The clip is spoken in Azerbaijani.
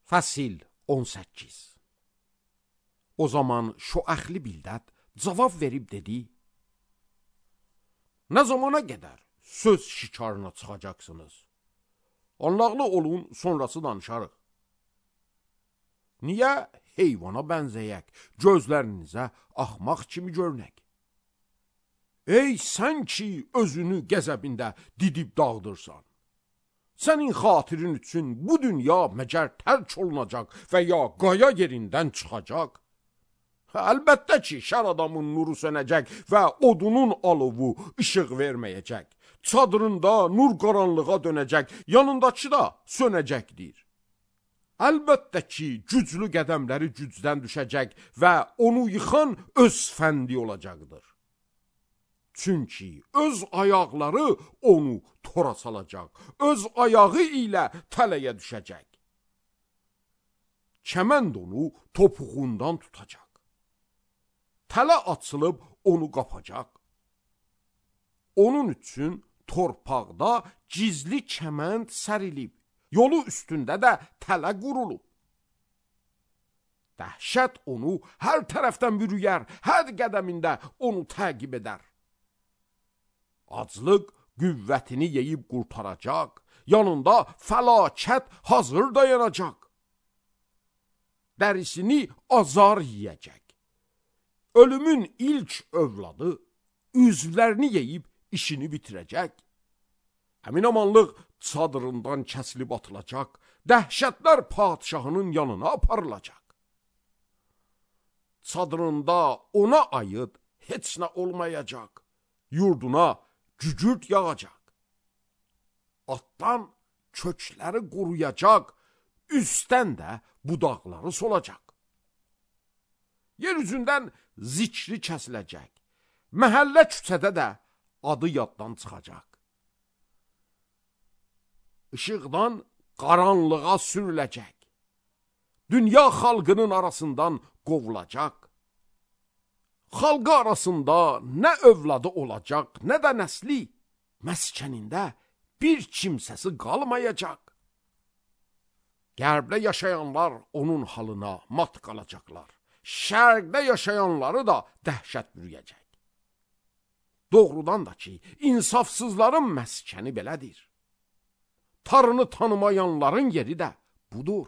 Fəsil 18. O zaman Şoəxli Bildad cavab verib dedi: Nə zamana qədər söz şikarına çıxacaqsınız? Anlaqlı olun, sonrası danışarıq. Niyə heyvana bənzəyək, gözlərinizə axmaq kimi görünək? Ey sən ki, özünü qəzəbində didib dağıdırsan. Sənin xatirin üçün bu dünya məgər tərk olunacaq və ya qaya yerindən çıxacaq? Əlbəttə ki, şər adamın nuru sönəcək və odunun alovu işıq verməyəcək. Çadırında nur qaranlığa dönəcək, yanındakı da sönəcəkdir. Əlbəttə ki, güclü qədəmləri gücdən düşəcək və onu yıxan öz fəndi olacaqdır. Çünki öz ayaqları onu tora salacaq, öz ayağı ilə tələyə düşəcək. Kəmənd onu topuğundan tutacaq. Tələ açılıb onu qapacaq. Onun üçün torpaqda gizli kəmənd sərilib, yolu üstündə də tələ qurulub. Dəhşət onu hər tərəfdən bürüyər, hər qədəmində onu təqib edər. Aclıq qüvvətini yeyib qurtaracaq, yanında fəlakət hazır dayanacaq. Dərisini azar yiyəcək. Ölümün ilk övladı üzvlərini yeyib işini bitirəcək. Əminamanlıq çadırından kəsilib atılacaq, dəhşətlər padişahının yanına aparılacaq. Çadırında ona aid heç nə olmayacaq, yurduna gücürt yağacaq. Atdan kökləri quruyacaq, üstdən də budaqları solacaq. Yer üzündən zikri kəsiləcək, məhəllə küçədə də adı yaddan çıxacaq. İşıqdan qaranlığa sürüləcək, dünya xalqının arasından qovulacaq. Xalqı arasında nə övladı olacaq, nə də nəsli, məskənində bir kimsəsi qalmayacaq. Qərbdə yaşayanlar onun halına mat qalacaqlar. Şərqdə yaşayanları da dəhşət bürüyəcək. Doğrudan da ki, insafsızların məskəni belədir. Tarını tanımayanların yeri də budur.